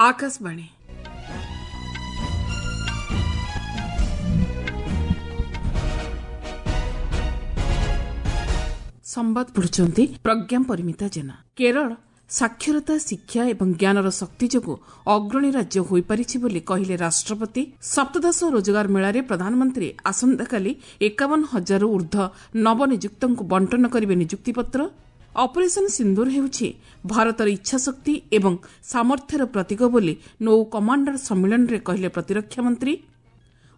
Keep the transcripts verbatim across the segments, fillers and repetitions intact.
ଆକାଶବାଣୀ। ସମ୍ବାଦ ପଢୁଛନ୍ତି ପ୍ରଜ୍ଞା ପରିମିତା ଜେନା। କେରଳ ସାକ୍ଷରତା, ଶିକ୍ଷା ଏବଂ ଜ୍ଞାନର ଶକ୍ତି ଯୋଗୁଁ ଅଗ୍ରଣୀ ରାଜ୍ୟ ହୋଇପାରିଛି ବୋଲି କହିଲେ ରାଷ୍ଟ୍ରପତି। ସପ୍ତଦଶ ରୋଜଗାର ମେଳାରେ ପ୍ରଧାନମନ୍ତ୍ରୀ ଆସନ୍ତାକାଲି ଏକାବନ ହଜାରରୁ ଊର୍ଦ୍ଧ୍ୱ ନବନିଯୁକ୍ତଙ୍କୁ ବଣ୍ଟନ କରିବେ ନିଯୁକ୍ତିପତ୍ର। ଅପରେସନ୍ ସିନ୍ଦୁର ହେଉଛି ଭାରତର ଇଚ୍ଛାଶକ୍ତି ଏବଂ ସାମର୍ଥ୍ୟର ପ୍ରତୀକ ବୋଲି ନୌ କମାଣ୍ଡର ସମ୍ମିଳନୀରେ କହିଲେ ପ୍ରତିରକ୍ଷା ମନ୍ତ୍ରୀ।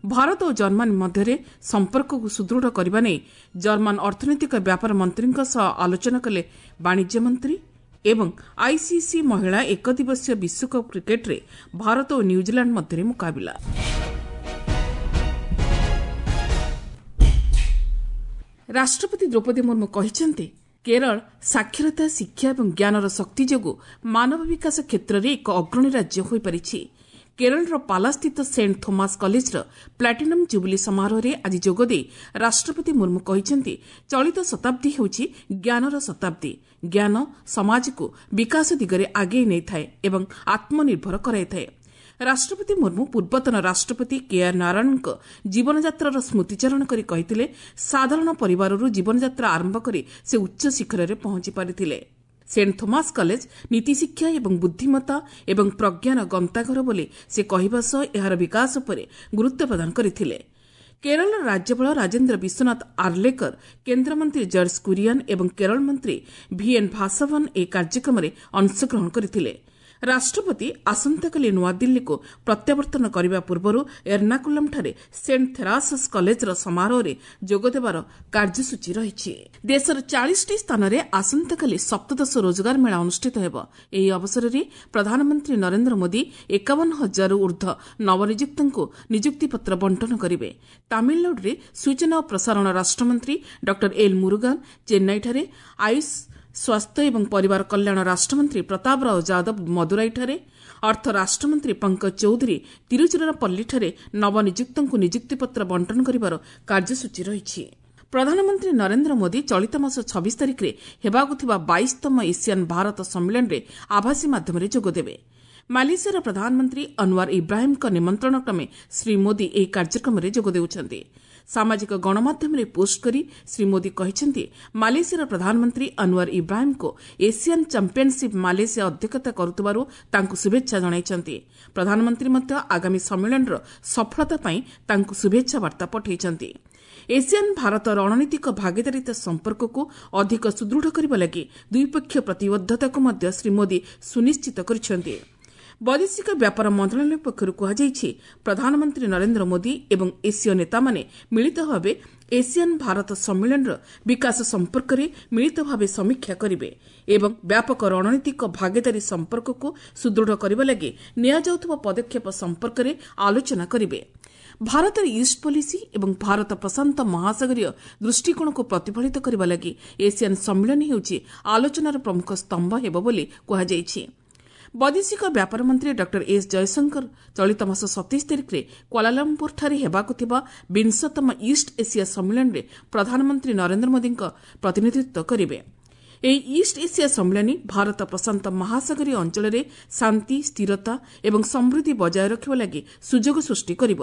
ଭାରତ ଓ ଜର୍ମାନୀ ମଧ୍ୟରେ ସମ୍ପର୍କକୁ ସୁଦୃଢ଼ କରିବା ନେଇ ଜର୍ମାନ ଅର୍ଥନୈତିକ ବ୍ୟାପାର ମନ୍ତ୍ରୀଙ୍କ ସହ ଆଲୋଚନା କଲେ ବାଣିଜ୍ୟ ମନ୍ତ୍ରୀ। ଏବଂ ଆଇସିସି ମହିଳା ଏକଦିବସୀୟ ବିଶ୍ୱକପ୍ କ୍ରିକେଟ୍ରେ ଭାରତ ଓ ନ୍ୟୁଜିଲାଣ୍ଡ ମଧ୍ୟରେ ମୁକାବିଲା। ରାଷ୍ଟ୍ରପତି ଦ୍ରୌପଦୀ ମୁର୍ମୁ କହିଛନ୍ତି, କେରଳ ସାକ୍ଷରତା, ଶିକ୍ଷା ଏବଂ ଜ୍ଞାନର ଶକ୍ତି ଯୋଗୁଁ ମାନବ ବିକାଶ କ୍ଷେତ୍ରରେ ଏକ ଅଗ୍ରଣୀ ରାଜ୍ୟ ହୋଇପାରିଛି। କେରଳର ପାଲାସ୍ଥିତ ସେଣ୍ଟ ଥୋମାସ କଲେଜର ପ୍ଲାଟିନମ୍ ଜୁବୁଲି ସମାରୋହରେ ଆଜି ଯୋଗଦେଇ ରାଷ୍ଟ୍ରପତି ମୁର୍ମୁ କହିଛନ୍ତି, ଚଳିତ ଶତାବ୍ଦୀ ହେଉଛି ଜ୍ଞାନର ଶତାବ୍ଦୀ। ଜ୍ଞାନ ସମାଜକୁ ବିକାଶ ଦିଗରେ ଆଗେଇ ନେଇଥାଏ ଏବଂ ଆତ୍ମନିର୍ଭର କରାଇଥାଏ। ରାଷ୍ଟ୍ରପତି ମୁର୍ମୁ ପୂର୍ବତନ ରାଷ୍ଟ୍ରପତି କେଆର୍ ନାରାୟଣଙ୍କ ଜୀବନଯାତ୍ରାର ସ୍ମୃତିଚାରଣ କରି କହିଥିଲେ, ସାଧାରଣ ପରିବାରରୁ ଜୀବନଯାତ୍ରା ଆରମ୍ଭ କରି ସେ ଉଚ୍ଚ ଶିଖରରେ ପହଞ୍ଚି ପାରିଥିଲେ। ସେଣ୍ଟ ଥୋମାସ କଲେଜ ନୀତିଶିକ୍ଷା ଏବଂ ବୁଦ୍ଧିମତ୍ତା ଏବଂ ପ୍ରଜ୍ଞାର ଗନ୍ତାଘର ବୋଲି ସେ କହିବା ସହ ଏହାର ବିକାଶ ଉପରେ ଗୁରୁତ୍ୱ ପ୍ରଦାନ କରିଥିଲେ। କେରଳର ରାଜ୍ୟପାଳ ରାଜେନ୍ଦ୍ର ବିଶ୍ୱନାଥ ଆର୍ଲେକର, କେନ୍ଦ୍ରମନ୍ତ୍ରୀ ଜର୍ଜ କୁରିଆନ୍ ଏବଂ କେରଳ ମନ୍ତ୍ରୀ ଭିଏନ୍ ଭାସଭନ୍ ଏହି କାର୍ଯ୍ୟକ୍ରମରେ ଅଂଶଗ୍ରହଣ କରିଥିଲେ। ରାଷ୍ଟ୍ରପତି ଆସନ୍ତାକାଲି ନୂଆଦିଲ୍ଲୀକୁ ପ୍ରତ୍ୟାବର୍ତ୍ତନ କରିବା ପୂର୍ବରୁ ଏର୍ଣ୍ଣାକୁଲମ୍ଠାରେ ସେଣ୍ଟ ଥେରାସସ୍ କଲେଜର ସମାରୋହରେ ଯୋଗଦେବାର କାର୍ଯ୍ୟସୂଚୀ ରହିଛି। ଦେଶର ଚାଳିଶଟି ସ୍ଥାନରେ ଆସନ୍ତାକାଲି ସପ୍ତଦଶ ରୋଜଗାର ମେଳା ଅନୁଷ୍ଠିତ ହେବ। ଏହି ଅବସରରେ ପ୍ରଧାନମନ୍ତ୍ରୀ ନରେନ୍ଦ୍ର ମୋଦି ଏକାବନ ହଜାରରୁ ଊର୍ଦ୍ଧ୍ୱ ନବନିଯୁକ୍ତଙ୍କୁ ନିଯୁକ୍ତିପତ୍ର ବଣ୍ଟନ କରିବେ। ତାମିଲନାଡୁରେ ସୂଚନା ଓ ପ୍ରସାରଣ ରାଷ୍ଟ୍ରମନ୍ତ୍ରୀ ଡକ୍ଟର ଏଲ୍ ମୁରୁଗାନ, ଚେନ୍ନାଇଠାରେ ଆୟୁଷ, ସ୍ୱାସ୍ଥ୍ୟ ଏବଂ ପରିବାର କଲ୍ୟାଣ ରାଷ୍ଟ୍ରମନ୍ତ୍ରୀ ପ୍ରତାପ ରାଓ ଯାଦବ ମଦୁରାଇଠାରେ, ଅର୍ଥ ରାଷ୍ଟ୍ରମନ୍ତ୍ରୀ ପଙ୍କଜ ଚୌଧୁରୀ ତିରୁଚିରାପଲ୍ଲୀଠାରେ ନବନିଯୁକ୍ତଙ୍କୁ ନିଯୁକ୍ତିପତ୍ର ବଣ୍ଟନ କରିବାର କାର୍ଯ୍ୟସୂଚୀ ରହିଛି। ପ୍ରଧାନମନ୍ତ୍ରୀ ନରେନ୍ଦ୍ର ମୋଦି ଚଳିତ ମାସ ଛବିଶ ତାରିଖରେ ହେବାକୁ ଥିବା ବାଇଶତମ ଏସିଆନ୍ ଭାରତ ସମ୍ମିଳନୀରେ ଆଭାସୀ ମାଧ୍ୟମରେ ଯୋଗଦେବେ। ମାଲେସିଆର ପ୍ରଧାନମନ୍ତ୍ରୀ ଅନୱାର ଇବ୍ରାହିମ୍ଙ୍କ ନିମନ୍ତ୍ରଣ କ୍ରମେ ଶ୍ରୀ ମୋଦି ଏହି କାର୍ଯ୍ୟକ୍ରମରେ ଯୋଗ ଦେଉଛନ୍ତି। ସାମାଜିକ ଗଣମାଧ୍ୟମରେ ପୋଷ୍ଟ କରି ଶ୍ରୀ ମୋଦି କହିଛନ୍ତି, ମାଲେସିଆର ପ୍ରଧାନମନ୍ତ୍ରୀ ଅନୱାର ଇବ୍ରାହିମ୍ଙ୍କୁ ଏସିଆନ୍ ଚାମ୍ପିୟନସିପ୍ ମାଲେସିଆ ଅଧ୍ୟକ୍ଷତା କରୁଥିବାରୁ ତାଙ୍କୁ ଶୁଭେଚ୍ଛା ଜଣାଇଛନ୍ତି। ପ୍ରଧାନମନ୍ତ୍ରୀ ମଧ୍ୟ ଆଗାମୀ ସମ୍ମିଳନୀର ସଫଳତା ପାଇଁ ତାଙ୍କୁ ଶୁଭେଚ୍ଛା ବାର୍ତ୍ତା ପଠାଇଛନ୍ତି। ଏସିଆନ୍ ଭାରତ ରଣନୀତିକ ଭାଗିଦାରିତା ସମ୍ପର୍କକୁ ଅଧିକ ସୁଦୃଢ଼ କରିବା ଲାଗି ଦ୍ୱିପକ୍ଷୀୟ ପ୍ରତିବଦ୍ଧତାକୁ ମଧ୍ୟ ଶ୍ରୀ ମୋଦି ସୁନିଶ୍ଚିତ କରିଛନ୍ତି। ବୈଦେଶିକ ବ୍ୟାପାର ମନ୍ତ୍ରଣାଳୟ ପକ୍ଷରୁ କୁହାଯାଇଛି, ପ୍ରଧାନମନ୍ତ୍ରୀ ନରେନ୍ଦ୍ର ମୋଦି ଏବଂ ଏସୀୟ ନେତାମାନେ ମିଳିତ ଭାବେ ଏସିଆନ୍ ଭାରତ ସମ୍ମିଳନୀର ବିକାଶ ସମ୍ପର୍କରେ ମିଳିତ ଭାବେ ସମୀକ୍ଷା କରିବେ ଏବଂ ବ୍ୟାପକ ରଣନୀତିକ ଭାଗିଦାରୀ ସମ୍ପର୍କକୁ ସୁଦୃଢ଼ କରିବା ଲାଗି ନିଆଯାଉଥିବା ପଦକ୍ଷେପ ସମ୍ପର୍କରେ ଆଲୋଚନା କରିବେ। ଭାରତର ଇଷ୍ଟ ପଲିସି ଏବଂ ଭାରତ ପ୍ରଶାନ୍ତ ମହାସାଗରୀୟ ଦୃଷ୍ଟିକୋଣକୁ ପ୍ରତିଫଳିତ କରିବା ଲାଗି ଏସିଆନ୍ ସମ୍ମିଳନୀ ହେଉଛି ଆଲୋଚନାର ପ୍ରମୁଖ ସ୍ତମ୍ଭ ହେବ ବୋଲି କୁହାଯାଇଛି। ବୈଦେଶିକ ବ୍ୟାପାର ମନ୍ତ୍ରୀ ଡକ୍ଟର ଏସ୍ ଜୟଶଙ୍କର ଚଳିତ ମାସ ସତେଇଶ ତାରିଖରେ କ୍ୱାଲାଲମ୍ପୁରଠାରେ ହେବାକୁ ଥିବା ବିଂଶତମ ଇଷ୍ଟ ଏସିଆ ସମ୍ମିଳନୀରେ ପ୍ରଧାନମନ୍ତ୍ରୀ ନରେନ୍ଦ୍ର ମୋଦିଙ୍କ ପ୍ରତିନିଧିତ୍ୱ କରିବେ। ଏହି ଇଷ୍ଟ ଏସିଆ ସମ୍ମିଳନୀ ଭାରତ ପ୍ରଶାନ୍ତ ମହାସାଗରୀୟ ଅଞ୍ଚଳରେ ଶାନ୍ତି, ସ୍ଥିରତା ଏବଂ ସମୃଦ୍ଧି ବଜାୟ ରଖିବା ଲାଗି ସୁଯୋଗ ସୃଷ୍ଟି କରିବ।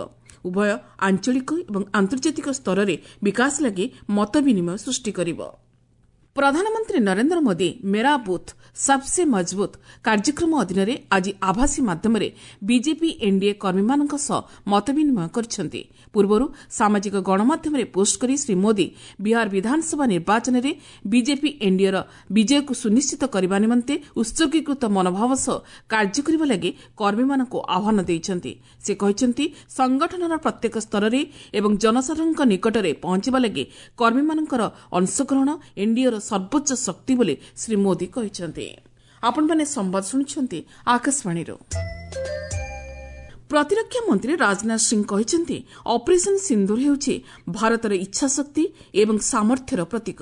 ଉଭୟ ଆଞ୍ଚଳିକ ଏବଂ ଆନ୍ତର୍ଜାତିକ ସ୍ତରରେ ବିକାଶ ଲାଗି ମତ ବିନିମୟ ସୃଷ୍ଟି କରିବ। ପ୍ରଧାନମନ୍ତ୍ରୀ ନରେନ୍ଦ୍ର ମୋଦି ମେରା ବୁଥ୍ ସବ୍ସେ ମଜବୁତ୍ କାର୍ଯ୍ୟକ୍ରମ ଅଧୀନରେ ଆଜି ଆଭାସୀ ମାଧ୍ୟମରେ ବିଜେପି ଏନ୍ଡିଏ କର୍ମୀମାନଙ୍କ ସହ ମତବିନିମୟ କରିଛନ୍ତି। ପୂର୍ବରୁ ସାମାଜିକ ଗଣମାଧ୍ୟମରେ ପୋଷ୍ଟ କରି ଶ୍ରୀ ମୋଦି ବିହାର ବିଧାନସଭା ନିର୍ବାଚନରେ ବିଜେପି ଏନ୍ଡିଏର ବିଜୟକୁ ସୁନିଶ୍ଚିତ କରିବା ନିମନ୍ତେ ଉତ୍ସର୍ଗୀକୃତ ମନୋଭାବ ସହ କାର୍ଯ୍ୟ କରିବା ଲାଗି କର୍ମୀମାନଙ୍କୁ ଆହ୍ୱାନ ଦେଇଛନ୍ତି। ସେ କହିଛନ୍ତି, ସଂଗଠନର ପ୍ରତ୍ୟେକ ସ୍ତରରେ ଏବଂ ଜନସାଧାରଣଙ୍କ ନିକଟରେ ପହଞ୍ଚିବା ଲାଗି କର୍ମୀମାନଙ୍କର ଅଂଶଗ୍ରହଣ ଏନ୍ଡିଏର ସର୍ବୋଚ୍ଚ ଶକ୍ତି ବୋଲି ଶ୍ରୀ ମୋଦି କହିଛନ୍ତି। ଆପଣମାନେ ସମ୍ବାଦ ଶୁଣୁଛନ୍ତି ଆକାଶବାଣୀରୁ। ପ୍ରତିରକ୍ଷା ମନ୍ତ୍ରୀ ରାଜନାଥ ସିଂ କହିଛନ୍ତି, ଅପରେସନ୍ ସିନ୍ଦୁର ହେଉଛି ଭାରତର ଇଚ୍ଛାଶକ୍ତି ଏବଂ ସାମର୍ଥ୍ୟର ପ୍ରତୀକ।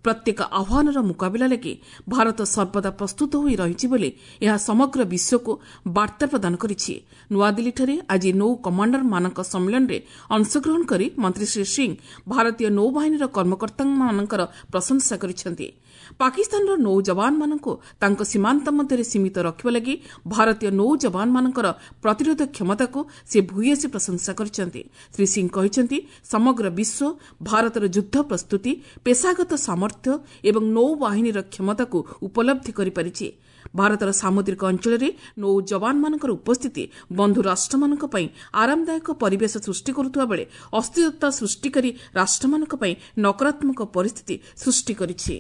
ପ୍ରତ୍ୟେକ ଆହ୍ୱାନର ମୁକାବିଲା ଲାଗି ଭାରତ ସର୍ବଦା ପ୍ରସ୍ତୁତ ହୋଇ ରହିଛି ବୋଲି ଏହା ସମଗ୍ର ବିଶ୍ୱକୁ ବାର୍ତ୍ତା ପ୍ରଦାନ କରିଛି। ନୂଆଦିଲ୍ଲୀଠାରେ ଆଜି ନୌ କମାଣ୍ଡରମାନଙ୍କ ସମ୍ମିଳନୀରେ ଅଂଶଗ୍ରହଣ କରି ମନ୍ତ୍ରୀ ଶ୍ରୀ ସିଂ ଭାରତୀୟ ନୌବାହିନୀର କର୍ମକର୍ତ୍ତାମାନଙ୍କର ପ୍ରଶଂସା କରିଛନ୍ତି। ପାକିସ୍ତାନର ନୌ ଯବାନମାନଙ୍କୁ ତାଙ୍କ ସୀମାନ୍ତ ମଧ୍ୟରେ ସୀମିତ ରଖିବା ଲାଗି ଭାରତୀୟ ନୌ ଯବାନମାନଙ୍କର ପ୍ରତିରୋଧ କ୍ଷମତାକୁ ସେ ଭୂୟସୀ ପ୍ରଶଂସା କରିଛନ୍ତି। ଶ୍ରୀ ସିଂ କହିଛନ୍ତି, ସମଗ୍ର ବିଶ୍ୱ ଭାରତର ଯୁଦ୍ଧ ପ୍ରସ୍ତୁତି, ପେସାଗତ ସାମର୍ଥ୍ୟ ଏବଂ ନୌବାହିନୀର କ୍ଷମତାକୁ ଉପଲବ୍ଧି କରିପାରିଛି। ଭାରତର ସାମୁଦ୍ରିକ ଅଞ୍ଚଳରେ ନୌ ଯବାନମାନଙ୍କର ଉପସ୍ଥିତି ବନ୍ଧୁ ରାଷ୍ଟ୍ରମାନଙ୍କ ପାଇଁ ଆରାମଦାୟକ ପରିବେଶ ସୃଷ୍ଟି କରୁଥିବା ବେଳେ ଅସ୍ଥିରତା ସୃଷ୍ଟିକାରୀ ରାଷ୍ଟ୍ରମାନଙ୍କ ପାଇଁ ନକାରାତ୍ମକ ପରିସ୍ଥିତି ସୃଷ୍ଟି କରିଛି।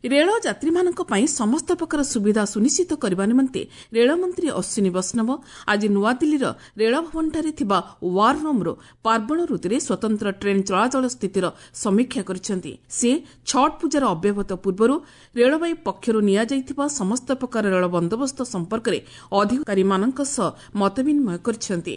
ରେଳ ଯାତ୍ରୀମାନଙ୍କ ପାଇଁ ସମସ୍ତ ପ୍ରକାର ସୁବିଧା ସୁନିଶ୍ଚିତ କରିବା ନିମନ୍ତେ ରେଳମନ୍ତ୍ରୀ ଅଶ୍ୱିନୀ ବୈଷ୍ଣବ ଆଜି ନୂଆଦିଲ୍ଲୀର ରେଳଭବନଠାରେ ଥିବା ୱାର୍ ରୁମ୍ରୁ ପାର୍ବଣ ଋତୁରେ ସ୍ୱତନ୍ତ୍ର ଟ୍ରେନ୍ ଚଳାଚଳ ସ୍ଥିତିର ସମୀକ୍ଷା କରିଛନ୍ତି। ସେ ଛଟ୍ ପୂଜାର ଅବ୍ୟବହିତ ପୂର୍ବରୁ ରେଳବାଇ ପକ୍ଷରୁ ନିଆଯାଇଥିବା ସମସ୍ତ ପ୍ରକାର ରେଳ ବନ୍ଦୋବସ୍ତ ସମ୍ପର୍କରେ ଅଧିକାରୀମାନଙ୍କ ସହ ମତବିନିମୟ କରିଛନ୍ତି।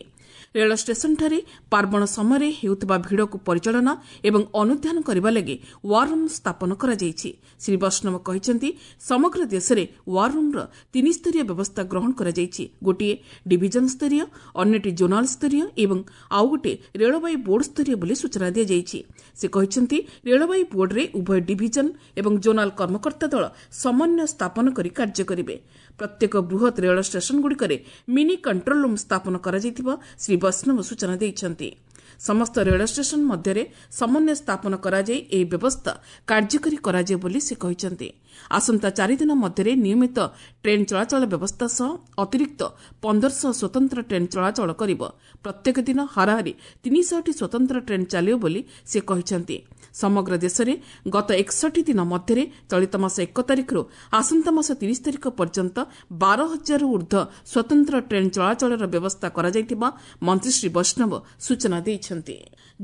ରେଳ ଷ୍ଟେସନଠାରେ ପାର୍ବଣ ସମୟରେ ହେଉଥିବା ଭିଡ଼କୁ ପରିଚାଳନା ଏବଂ ଅନୁଧ୍ୟାନ କରିବା ଲାଗି ୱାର୍ ରୁମ୍ ସ୍ଥାପନ କରାଯାଇଛି। ଶ୍ରୀ ବୈଷ୍ଣବ କହିଛନ୍ତି, ସମଗ୍ର ଦେଶରେ ୱାର୍ ରୁମ୍ର ତିନିସ୍ତରୀୟ ବ୍ୟବସ୍ଥା ଗ୍ରହଣ କରାଯାଇଛି। ଗୋଟିଏ ଡିଭିଜନ ସ୍ତରୀୟ, ଅନ୍ୟଟି ଜୋନାଲ ସ୍ତରୀୟ ଏବଂ ଆଉ ଗୋଟିଏ ରେଳବାଇ ବୋର୍ଡ ସ୍ତରୀୟ ବୋଲି ସୂଚନା ଦିଆଯାଇଛି। ସେ କହିଛନ୍ତି, ରେଳବାଇ ବୋର୍ଡରେ ଉଭୟ ଡିଭିଜନ ଏବଂ ଜୋନାଲ କର୍ମକର୍ତ୍ତା ଦଳ ସମନ୍ୱୟ ସ୍ଥାପନ କରି କାର୍ଯ୍ୟ କରିବେ। ପ୍ରତ୍ୟେକ ବୃହତ୍ ରେଳ ଷ୍ଟେସନଗୁଡ଼ିକରେ ମିନି କଣ୍ଟ୍ରୋଲ ରୁମ୍ ସ୍ଥାପନ କରାଯାଇଥିବା ଶ୍ରୀ ବୈଷ୍ଣବ ସୂଚନା ଦେଇଛନ୍ତି। ସମସ୍ତ ରେଳ ଷ୍ଟେସନ ମଧ୍ୟରେ ସମନ୍ୱୟ ସ୍ଥାପନ କରାଯାଇ ଏହି ବ୍ୟବସ୍ଥା କାର୍ଯ୍ୟକାରୀ କରାଯିବ ବୋଲି ସେ କହିଛନ୍ତି। ଆସନ୍ତା ଚାରିଦିନ ମଧ୍ୟରେ ନିୟମିତ ଟ୍ରେନ୍ ଚଳାଚଳ ବ୍ୟବସ୍ଥା ସହ ଅତିରିକ୍ତ ପନ୍ଦରଶହ ସ୍ୱତନ୍ତ୍ର ଟ୍ରେନ୍ ଚଳାଚଳ କରିବ। ପ୍ରତ୍ୟେକ ଦିନ ହାରାହାରି ତିନିଶହଟି ସ୍ୱତନ୍ତ୍ର ଟ୍ରେନ୍ ଚାଲିବ ବୋଲି ସେ କହିଛନ୍ତି। ସମଗ୍ର ଦେଶରେ ଗତ ଏକଷଠି ଦିନ ମଧ୍ୟରେ ଚଳିତ ମାସ ଏକ ତାରିଖରୁ ଆସନ୍ତା ମାସ ତିରିଶ ତାରିଖ ପର୍ଯ୍ୟନ୍ତ ବାର ହଜାରରୁ ଊର୍ଦ୍ଧ୍ୱ ସ୍ୱତନ୍ତ୍ର ଟ୍ରେନ୍ ଚଳାଚଳର ବ୍ୟବସ୍ଥା କରାଯାଇଥିବା ମନ୍ତ୍ରୀ ଶ୍ରୀ ବୈଷ୍ଣବ ସୂଚନା ଦେଇଛନ୍ତି।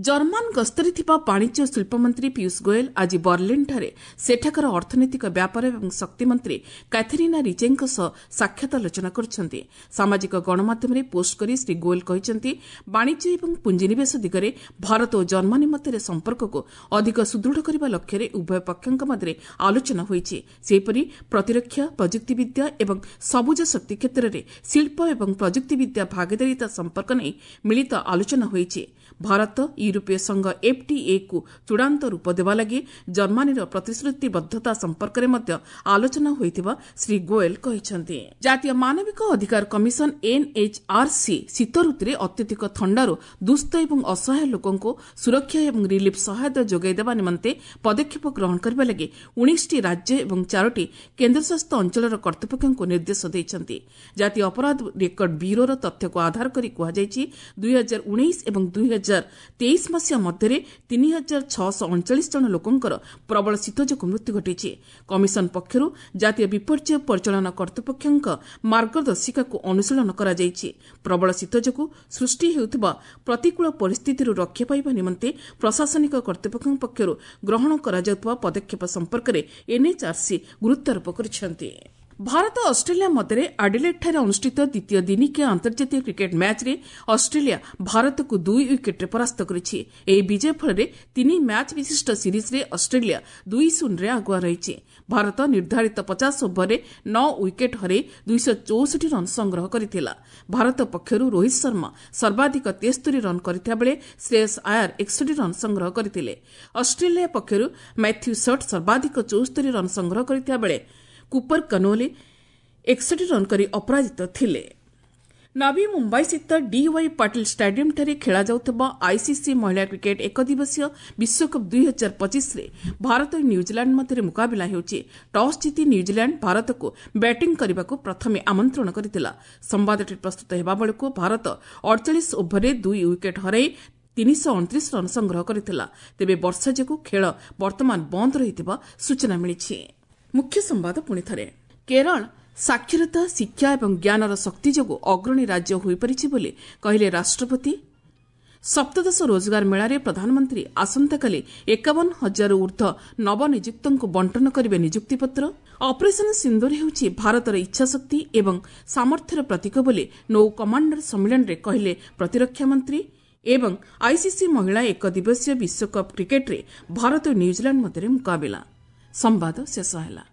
ଜର୍ମାନ ଗସ୍ତରେ ଥିବା ବାଣିଜ୍ୟ ଶିଳ୍ପମନ୍ତ୍ରୀ ପୀୟୁଷ ଗୋଏଲ ଆଜି ବର୍ଲିନ୍ଠାରେ ସେଠାକାର ଅର୍ଥନୈତିକ ବ୍ୟାପାର ଏବଂ ଶକ୍ତିମନ୍ତ୍ରୀ କାଥେରିନା ରିଚେଙ୍କ ସହ ସାକ୍ଷାତ ଆଲୋଚନା କରିଛନ୍ତି। ସାମାଜିକ ଗଣମାଧ୍ୟମରେ ପୋଷ୍ଟ କରି ଶ୍ରୀ ଗୋଏଲ କହିଛନ୍ତି, ବାଣିଜ୍ୟ ଏବଂ ପୁଞ୍ଜିନିବେଶ ଦିଗରେ ଭାରତ ଓ ଜର୍ମାନୀ ମଧ୍ୟରେ ସମ୍ପର୍କକୁ ଅଧିକ ସୁଦୃଢ଼ କରିବା ଲକ୍ଷ୍ୟରେ ଉଭୟ ପକ୍ଷଙ୍କ ମଧ୍ୟରେ ଆଲୋଚନା ହୋଇଛି। ସେହିପରି ପ୍ରତିରକ୍ଷା, ପ୍ରଯୁକ୍ତିବିଦ୍ୟା ଏବଂ ସବୁଜ ଶକ୍ତି କ୍ଷେତ୍ରରେ ଶିଳ୍ପ ଏବଂ ପ୍ରଯୁକ୍ତିବିଦ୍ୟା ଭାଗିଦାରିତା ସମ୍ପର୍କ ନେଇ ମିଳିତ ଆଲୋଚନା ହୋଇଛି। ଭାରତ ୟୁରୋପୀୟ ସଂଘ ଏଫ୍ଟିଏକୁ ଚୂଡ଼ାନ୍ତ ରୂପ ଦେବା ଲାଗି ଜର୍ମାନୀର ପ୍ରତିଶ୍ରୁତିବଦ୍ଧତା ସମ୍ପର୍କରେ ମଧ୍ୟ ଆଲୋଚନା ହୋଇଥିବା ଶ୍ରୀ ଗୋଏଲ କହିଛନ୍ତି। ଜାତୀୟ ମାନବିକ ଅଧିକାର କମିଶନ ଏନ୍ଏଚ୍ଆର୍ସି ଶୀତ ଋତୁରେ ଅତ୍ୟଧିକ ଥଣ୍ଡାରୁ ଦୁସ୍ଥ ଏବଂ ଅସହାୟ ଲୋକଙ୍କୁ ସୁରକ୍ଷା ଏବଂ ରିଲିଫ୍ ସହାୟତା ଯୋଗାଇ ଦେବା ନିମନ୍ତେ ପଦକ୍ଷେପ ଗ୍ରହଣ କରିବା ଲାଗି ଉଣେଇଶଟି ରାଜ୍ୟ ଏବଂ ଚାରୋଟି କେନ୍ଦ୍ରଶାସିତ ଅଞ୍ଚଳର କର୍ତ୍ତୃପକ୍ଷଙ୍କୁ ନିର୍ଦ୍ଦେଶ ଦେଇଛନ୍ତି। ଜାତୀୟ ଅପରାଧ ରେକର୍ଡ ବ୍ୟୁରୋର ତଥ୍ୟକୁ ଆଧାର କରି କୁହାଯାଇଛି, ଦୁଇ ହଜାର ଉଣେଇଶ ଏବଂ ଦୁଇ ହଜାର ତେଇଶ ମସିହା ମଧ୍ୟରେ ତିନି ହଜାର ଛଅଶହ ଅଣଚାଳିଶ ଜଣ ଲୋକଙ୍କର ପ୍ରବଳ ଶୀତ ଯୋଗୁଁ ମୃତ୍ୟୁ ଘଟିଛି। କମିଶନ ପକ୍ଷରୁ ଜାତୀୟ ବିପର୍ଯ୍ୟୟ ପରିଚାଳନା କର୍ତ୍ତୃପକ୍ଷଙ୍କ ମାର୍ଗଦର୍ଶିକାକୁ ଅନୁଶୀଳନ କରାଯାଇଛି। ପ୍ରବଳ ଶୀତ ଯୋଗୁଁ ସୃଷ୍ଟି ହେଉଥିବା ପ୍ରତିକୂଳ ପରିସ୍ଥିତିରୁ ରକ୍ଷା ପାଇବା ନିମନ୍ତେ ପ୍ରଶାସନିକ କର୍ତ୍ତୃପକ୍ଷଙ୍କ ପକ୍ଷରୁ ଗ୍ରହଣ କରାଯାଉଥିବା ପଦକ୍ଷେପ ସମ୍ପର୍କରେ ଏନ୍ଏଚ୍ଆର୍ସି ଗୁରୁତ୍ୱାରୋପ କରିଛନ୍ତି। ଭାରତ ଅଷ୍ଟ୍ରେଲିଆ ମଧ୍ୟରେ ଆଡିଲେଡ୍ଠାରେ ଅନୁଷ୍ଠିତ ଦ୍ୱିତୀୟ ଦିନିକିଆ ଆନ୍ତର୍ଜାତୀୟ କ୍ରିକେଟ୍ ମ୍ୟାଚ୍ରେ ଅଷ୍ଟ୍ରେଲିଆ ଭାରତକୁ ଦୁଇ ୱିକେଟ୍ରେ ପରାସ୍ତ କରିଛି। ଏହି ବିଜୟ ଫଳରେ ତିନି ମ୍ୟାଚ୍ ବିଶିଷ୍ଟ ସିରିଜ୍ରେ ଅଷ୍ଟ୍ରେଲିଆ ଦୁଇ ଶୂନରେ ଆଗୁଆ ରହିଛି। ଭାରତ ନିର୍ଦ୍ଧାରିତ ପଚାଶ ଓଭରରେ ନଅ ୱିକେଟ୍ ହରାଇ ଦୁଇଶହ ଚଉଷଠି ରନ୍ ସଂଗ୍ରହ କରିଥିଲା। ଭାରତ ପକ୍ଷରୁ ରୋହିତ ଶର୍ମା ସର୍ବାଧିକ ତେସ୍ତରି ରନ୍ କରିଥିବା ବେଳେ ଶ୍ରେୟସ୍ ଆୟାର ଏକଷଠି ରନ୍ ସଂଗ୍ରହ କରିଥିଲେ। ଅଷ୍ଟ୍ରେଲିଆ ପକ୍ଷରୁ ମାଥ୍ୟୁ ସଟ୍ ସର୍ବାଧିକ ଚଉସ୍ତରି ରନ୍ ସଂଗ୍ରହ କରିଥିବା ବେଳେ କୁପର କନୋଲି ଏକଷଠି ରନ୍ କରି ଅପରାଜିତ ଥିଲେ। ନବୀ ମୁମ୍ବାଇସ୍ଥିତ ଡିୱାଇ ପାଟିଲ ଷ୍ଟାଡିୟମ୍ଠାରେ ଖେଳାଯାଉଥିବା ଆଇସିସି ମହିଳା କ୍ରିକେଟ୍ ଏକଦିବସୀୟ ବିଶ୍ୱକପ୍ ଦୁଇ ହଜାର ପଚିଶରେ ଭାରତ ଓ ନ୍ୟୁଜିଲାଣ୍ଡ ମଧ୍ୟରେ ମୁକାବିଲା ହେଉଛି। ଟସ୍ ଜିତି ନ୍ୟୁଜିଲାଣ୍ଡ ଭାରତକୁ ବ୍ୟାଟିଂ କରିବାକୁ ପ୍ରଥମେ ଆମନ୍ତ୍ରଣ କରିଥିଲା। ସମ୍ବାଦଟି ପ୍ରସ୍ତୁତ ହେବା ବେଳକୁ ଭାରତ ଅଡ଼ଚାଳିଶ ଓଭରରେ ଦୁଇ ୱିକେଟ୍ ହରାଇ ତିନିଶହ ଅଣତିରିଶ ରନ୍ ସଂଗ୍ରହ କରିଥିଲା। ତେବେ ବର୍ଷା ଯୋଗୁଁ ଖେଳ ବର୍ତ୍ତମାନ ବନ୍ଦ ରହିଥିବା ସୂଚନା ମିଳିଛି। ମୁଖ୍ୟ ସମ୍ବାଦ ପୁଣିଥରେ, କେରଳ ସାକ୍ଷରତା, ଶିକ୍ଷା ଏବଂ ଜ୍ଞାନର ଶକ୍ତି ଯୋଗୁଁ ଅଗ୍ରଣୀ ରାଜ୍ୟ ହୋଇପାରିଛି ବୋଲି କହିଲେ ରାଷ୍ଟ୍ରପତି। ସପ୍ତଦଶ ରୋଜଗାର ମେଳାରେ ପ୍ରଧାନମନ୍ତ୍ରୀ ଆସନ୍ତାକାଲି ଏକାବନ ହଜାରରୁ ଊର୍ଦ୍ଧ୍ୱ ନବନିଯୁକ୍ତଙ୍କୁ ବଣ୍ଟନ କରିବେ ନିଯୁକ୍ତିପତ୍ର। ଅପରେସନ୍ ସିନ୍ଦୁର ହେଉଛି ଭାରତର ଇଚ୍ଛାଶକ୍ତି ଏବଂ ସାମର୍ଥ୍ୟର ପ୍ରତୀକ ବୋଲି ନୌ କମାଣ୍ଡର ସମ୍ମିଳନୀରେ କହିଲେ ପ୍ରତିରକ୍ଷା ମନ୍ତ୍ରୀ। ଏବଂ ଆଇସିସି ମହିଳା ଏକଦିବସୀୟ ବିଶ୍ୱକପ୍ କ୍ରିକେଟ୍ରେ ଭାରତ ଓ ନ୍ୟୁଜିଲାଣ୍ଡ ମଧ୍ୟରେ ମୁକାବିଲା। ସମ୍ବାଦ ଶେଷ ହେଲା।